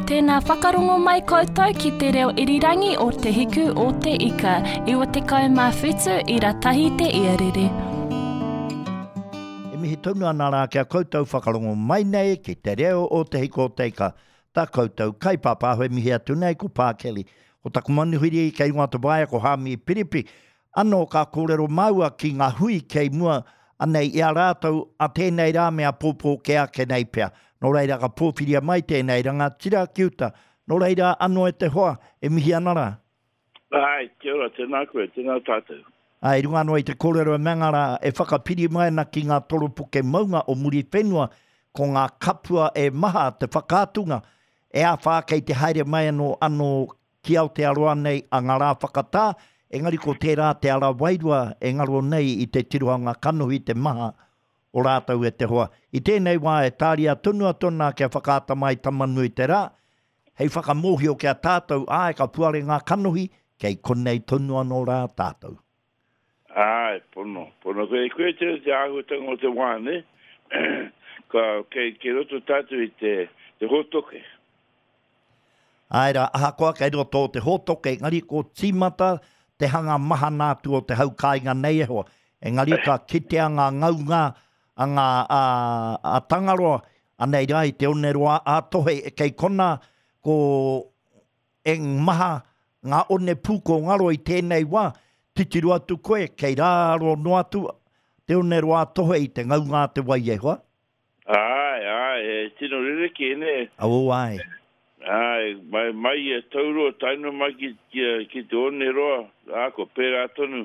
Tēnā whakarongo mai koutou ki te reo irirangi o Te Hiku o Te Ika, 97 ira tahi te iarere. E mihi tonu ana rā ki a koutou whakarongo mai nei ki te reo o Te Hiku o Te Ika, tā koutou kaipāpāho e mihi atu nei ko Pā Kelly. Ko taku manuhiri kei runga o te waea ko Hāmi Piripi. Anō ka kōrero māua ki ngā hui kei mua anei i a rātou a tēnei rā me āpōpō kē ake nei pea. Nō reira ka pōwhiria mai tēnei rangatira ki uta. Nō reira anō e te hoa, e mihi ana rā. Āe, kia ora, tēnā koe, tēnā tātou. Āe, i runga anō i te kōrero e mea rā, e whakapiri mai ana ki ngā toropuke maunga o Muriwhenua, ko ngā kapua e maha te whakaatunga, e āwhā kei te haere mai anō anō Ki Aotearoa nei a ngā rā whakatā, engari ko tērā te ara wairua e ngaro nei i te tirohanga kanohi te maha o rātou e te hoa. I tēnei wā e tāria tonu atu ana kia whakaata mai Tama-nui-te-rā, hei whakamōhio ki a tātou, āe ka puare ngā kanohi, kei konei tonu anō rā tātou. Āe, pono, pono. Koe, koe te, te āhuatanga o te wā, nē? Ka, kei, kei roto tātou i te, te hōtoke. Āe rā, ahakoa kei roto o te hōtoke, engari ko tīmata te hanga mahana atu o te hau kāinga nei e hoa. Engari ka kitea ngā ngaunga a ngā, a, a Tangaroa, anei rā i te oneroa a Tohe, kei konā ko eng maha ngā one pūko ngaro i tēnei wā, titiro atu koe, kei rāro noa atu te oneroa a Tohe i te ngaunga a te wai e hoa. Āe, āe, he tino rerekē, nē? Oh, āe. Āe, mai, mai i a Tauroa tae noa mai ki, ki, ki te Oneroa, ā, kua pērā tonu.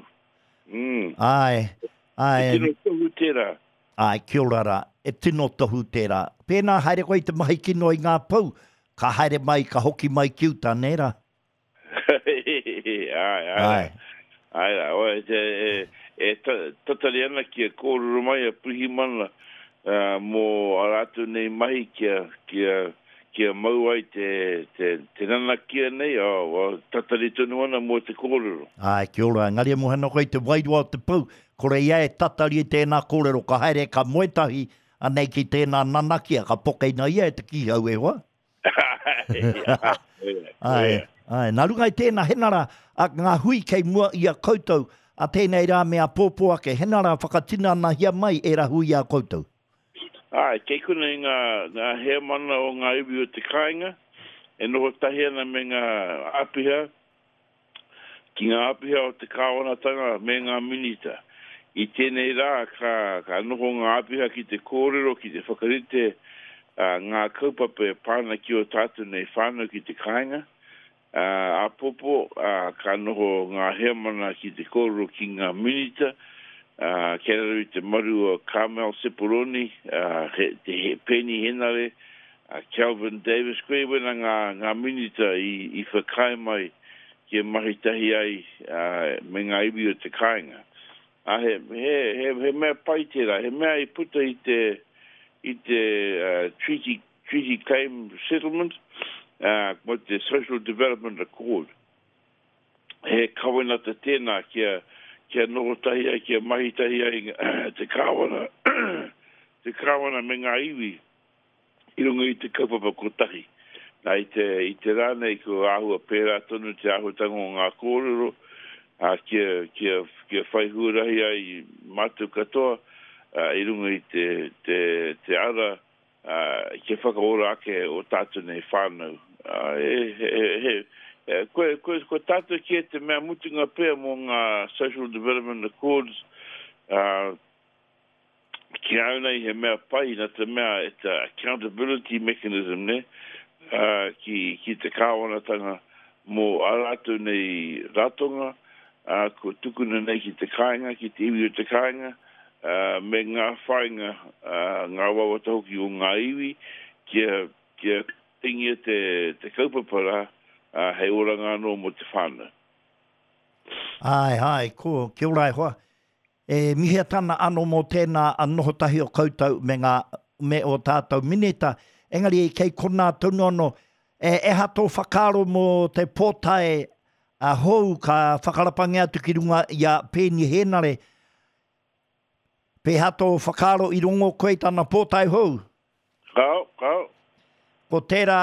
Mm. Āe, āe. He tino tohu tērā. Āe, kia ora rā. E tino tohu tērā. Pēnā haere koe i te mahi kino i ngā pou, ka haere mai, ka hoki mai ki uta, nē rā? Āe, āe rā. Āe rā. Oe, e, e, e tatari ana kia kōrero mai a Pirihimana mō ā rātou nei mahi kia, kia, kia mau ai te, te, te nanakia nei, oh, tatari tonu ana mō te kōrero. Āe, kia ora. Engari e moe ana koe i te wairua o te pou, kore ia e tatari i tēnā kōrero, ka haere, ka moe tahi, anei ki tēnā nanakia, ka pokeina ia e te kīhau e hoa. Āe, āe. Nā runga i tēnā, hena rā, a, ngā hui kei mua i a koutou, a tēnei rā me āpōpō ake, hena rā whakatinanahia mai ērā hui i a koutou. Āe, kei konei ngā, ngā heamana o ngā iwi o te kāinga, e noho tahi ana me ngā āpiha, ki ngā āpiha o te kāwanatanga me ngā minita. I tēnei rā ka, ka noho ngā āpiha ki te kōrero, ki te whakarite ngā kaupapa e pā ana ki ō tātou nei whānau ki te kāinga. Āpōpō, ka noho ngā heamana ki te kōrero ki ngā minita, kei raro i te maru o Carmel Sepuloni, te Peeni Henare, A Kelvin Davis, koe wena ngā, ngā minita i, i whakaae mai kia mahi tahi ai me ngā iwi o te kāinga. A he, he, he, he mea pai tērā, he mea i puta i te, i te uh, treaty, treaty claim settlement, uh, mo te Social Development Accord. He kawenata tēnā kia, kia noho tahi ai, kia mahi tahi ai te kāwana, te kāwana me ngā iwi. i runga i te kaupapa kotahi. Nā, i te, i te rā nei ko āhua pērā tonu te āhuatanga o ngā kōrero, ā, kia, kia, kia whai huarahi ai mātou katoa, ā, i runga i te, te, te ara, ā, kia whakaora ake ō tātou nei whānau. Ā, he, he, he, he, koe, koe, ko tātou kē te mea mutunga pea mō ngā Social Development Accords, ā, Ki a au nei he mea pai na te mea it's a accountability mechanism ne, ki, ki te kāwanatanga mō ā rātou nei ratonga, ā, kua tukuna nei ki te kāinga, ki te iwi o te kāinga, ā, me ngā whāinga, ā, ngā wawata hoki o ngā iwi kia, kia tingia te, te kaupapa rā, ā, hei oranga anō mō te whānau. Āe, āe, ko, kia ora e hoa. E mihia tana ano mō tēnā a noho tahi o koutou me ngā, me ō tātou minita, engari kei konā tonu anō, e eha tō whakaaro mō te pōtae a hou ka whakarapangia atu ki runga i a Peeni Hēnare, pēhea tō whakaaro i rongo koe i tana pōtae hou? Kāo, kāo. Ko tērā.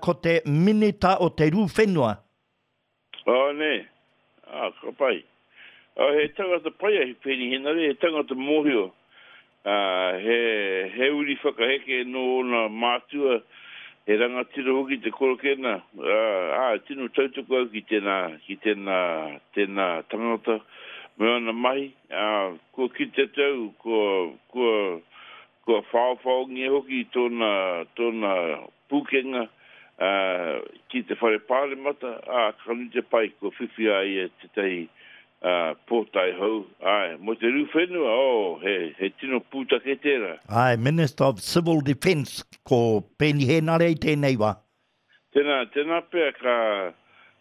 ko te Minita o te Rū Whenua. Oh, nē. Ah, ka pai. Oh, he tangata pai a Peeni Henare, he tangata mōhio. Ah, he, he uri whakaheke nō ōna mātua, he rangatira hoki te korokena. Ah, ah, tino tautoko au ki tēnā, ki tēnā, tēnā tangata me āna mahi. Ah, kua kite atu au, kua, kua, Kua whaowhaongia hoki tōna, tōna pūkenga, ā, ki te Whare Pāremata, ā, ka nui te pai kua whiwhi a ia tētahi, ā, pōtae hou. Āe, mō te rū whenua, oh, he, he tino pūtake tērā. Āe, Minister of Civil Defence, ko Peeni Hēnare i tēnei wā. Tēnā, tēnā pea ka,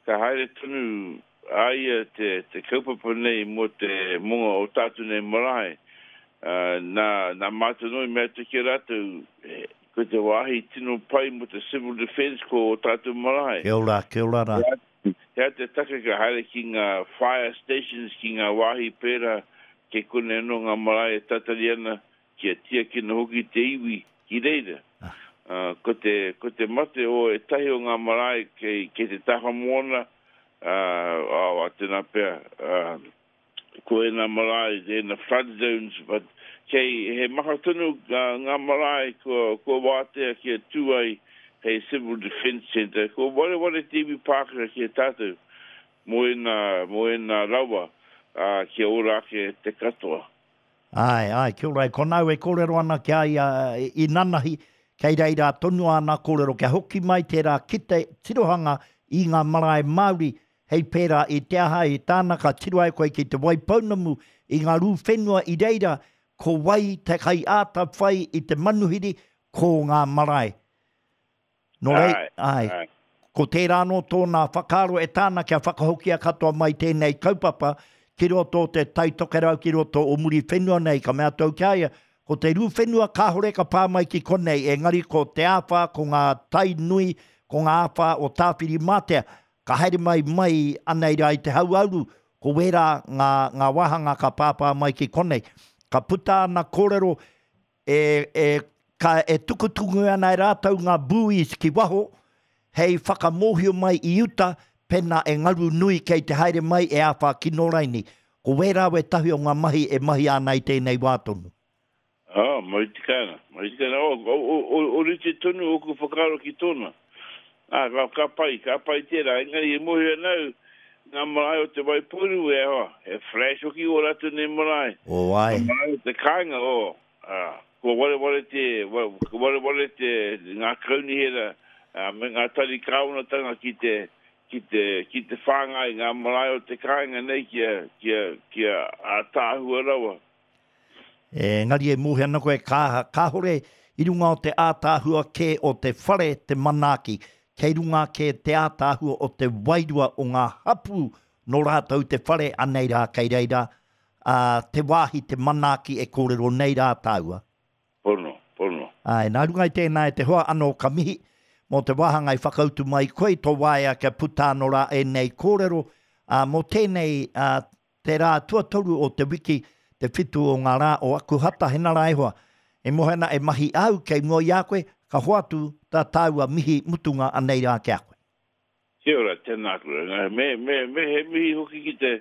ka haere tonu a ia te, te kaupapa nei mō te, mō ngā o tātou nei marae. Ā, nā, nā mātou noa i mea atu ki a rātou, he, ko te wāhi tino pai mō te civil defence ko ō tātou marae. Kia ora, kia ora rā. He aha, he aha te take ka haere ki ngā fire stations, ki ngā wāhi pērā, kei konei anō ngā marae e tatari ana kia tiakina hoki te iwi ki reira. Ko te, ko te mate o ētahi o ngā marae kei, kei te taha moana, ā, ā, tēnā pea, ā, ko ēnā marae, ēnā flood zones, but kei, he maha tonu ngā marae kua, kua wātea kia tū ai hei civil defence centre. Kua wareware te iwi Pākehā ki a tātou mō ēnā, mō ēnā rawa, ā, kia ora ake te katoa. Āe, āe, kia ora. E kona au e kōrero ana ki a ia i nanahi, kei reira tonu āna kōrero kia hoki mai tērā kite tirohanga i ngā marae Māori hei pērā i te aha i tāna ka tiro ai koe ki Te Waipounamu i ngā rū whenua i reira ko wai te kaiāta whai i te manuhiri ko ngā marae. Nō rei, āe, ko tērā anō tōna whakaaro e tāna kia whakahokia katoa mai tēnei kaupapa ki roto o te Tai Tokerau, ki roto o Muriwhenua nei, ka mea atu au ki a ia, ko te rū whenua kāore ka pā mai ki konei, engari ko te āwhā, ko ngā tai nui, ko ngā āwhā o Tāwhirimātea, ka haere mai mai anei rā i te hauāuru, ko wērā ngā, ngā wāhanga ka pāpā mai ki konei. Ka puta ana kōrero, E, e, ka, e tukutuku ana e rātou ngā buoys ki waho, hei whakamōhio mai i uta, pēnā e ngaru nui kei te haere mai e āwhā kino raini. Ko wērā wētahi o ngā mahi e mahia ana i tēnei wā tonu. Oh, mau tika ana, mau tika ana. Oh, o, o, o, orite tonu ōku whakaaro ki tōna. Ā, ka, ka pai, ka pai tērā. Engari e mōhio ana au, ngā marae o Te Waipounamu, e hoa, he flash hoki ō rātou nei marae. Oh, āe. Ngā marae o te kāinga, oh, ā, kua wareware te, kua wareware te, ngā kaunihera, ā, me ngā tari kāwanatanga ki te, ki te, ki te whāngai ngā marae o te kāinga nei kia, kia, kia ātaahua rawa. Engari e mōhio ana koe ka, kāhore i runga o te ātaahua kē o te whare te manaaki, kei runga kē te ātaahua o te wairua o ngā hapū nō rātou te whare, anei rā kei reira, ā, te wāhi te manaaki e kōrero nei rā tāua. Pono, pono. Āe, nā runga i tēnā e te hoa anō ka mihi mō te wāhanga i whakautu mai koe i tō waea kia puta anō rā ēnei kōrero, ā, mō tēnei, ā, Te rā tuatoru o te wiki, te whitu o ngā rā o Akuhata, hena rā e hoa. E moe ana e mahi au kei mua i a koe, ka hoatu tā tāua mihi mutunga anei rā ki a koe. Kia ora, tēnā koe. Me, me, me he mihi hoki ki te,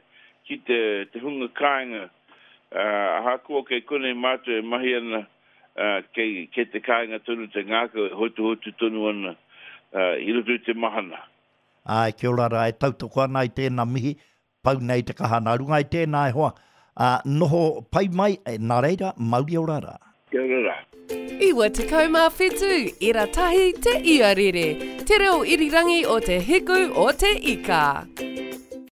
ki te, te hunga kāinga, ā, ahakoa kei konei mātou e mahi ana, ā, kei, kei te kāinga tonu te ngākau e hotuhotu tonu ana, ā, i roto i te mahana. Āe, kia ora rā, e tautoko ana i tēnā mihi, Pau nei te kaha nā runga i tēnā e hoa, ā, noho pai mai, nā reira, mauri ora rā. Kia ora rā. 97 ira tahi te iarere, te reo irirangi o te hiku o te ika.